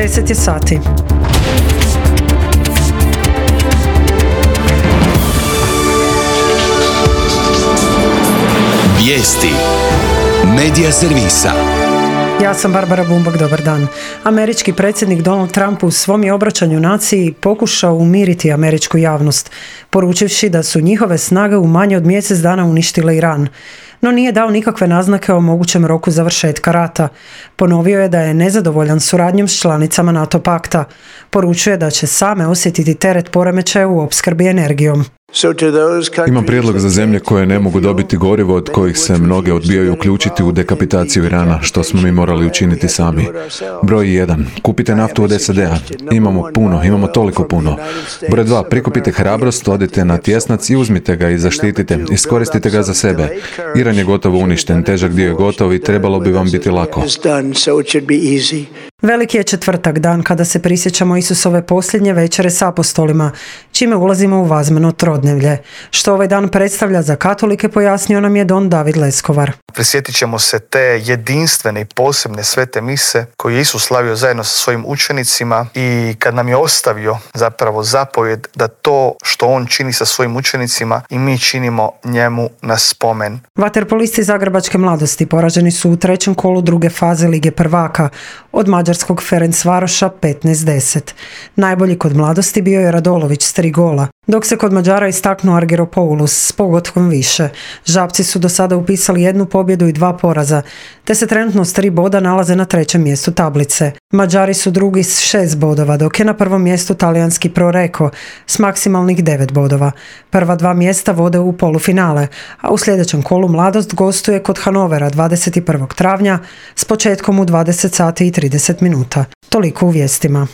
10 je sati. Vijesti Medija servisa. Ja sam Barbara Bumbak, dobar dan. Američki predsjednik Donald Trump u svom je obraćanju naciji pokušao umiriti američku javnost, poručivši da su njihove snage u manje od mjesec dana uništile Iran. No nije dao nikakve naznake o mogućem roku završetka rata. Ponovio je da je nezadovoljan suradnjom s članicama NATO pakta. Poručuje da će same osjetiti teret poremećaja u opskrbi energijom. Imam prijedlog za zemlje koje ne mogu dobiti gorivo, od kojih se mnoge odbijaju uključiti u dekapitaciju Irana, što smo mi morali učiniti sami. Broj 1. Kupite naftu od SAD-a. Imamo toliko puno. Broj 2. Prikupite hrabrost, odite na tjesnac i uzmite ga i zaštitite. Iskoristite ga za sebe. Iran je gotovo uništen, težak dio je gotov i trebalo bi vam biti lako. Veliki je četvrtak, dan kada se prisjećamo Isusove posljednje večere s apostolima, čime ulazimo u vazmeno trodnevlje. Što ovaj dan predstavlja za katolike, pojasnio nam je don David Leskovar. Prisjetit ćemo se te jedinstvene i posebne svete mise koje je Isus slavio zajedno sa svojim učenicima i kad nam je ostavio zapravo zapovjed da to što on čini sa svojim učenicima i mi činimo njemu na spomen. Vaterpolisti Zagrebačke mladosti poraženi su u trećem kolu druge faze Lige prvaka od mađarskog Ferencvaroša 15-10. Najbolji kod mladosti bio je Radolović s 3 gola, dok se kod Mađara istaknuo Argyropoulos s pogotkom više. Žabci su do sada upisali 1 pobjedu i 2 poraza, te se trenutno s 3 boda nalaze na 3. mjestu tablice. Mađari su drugi s 6 bodova, dok je na 1. mjestu talijanski Proreko s maksimalnih 9 bodova. Prva 2 mjesta vode u polufinale, a u sljedećem kolu mladost gostuje kod Hanovera 21. travnja s početkom u 20 sati i 30 minuta. Toliko u vijestima.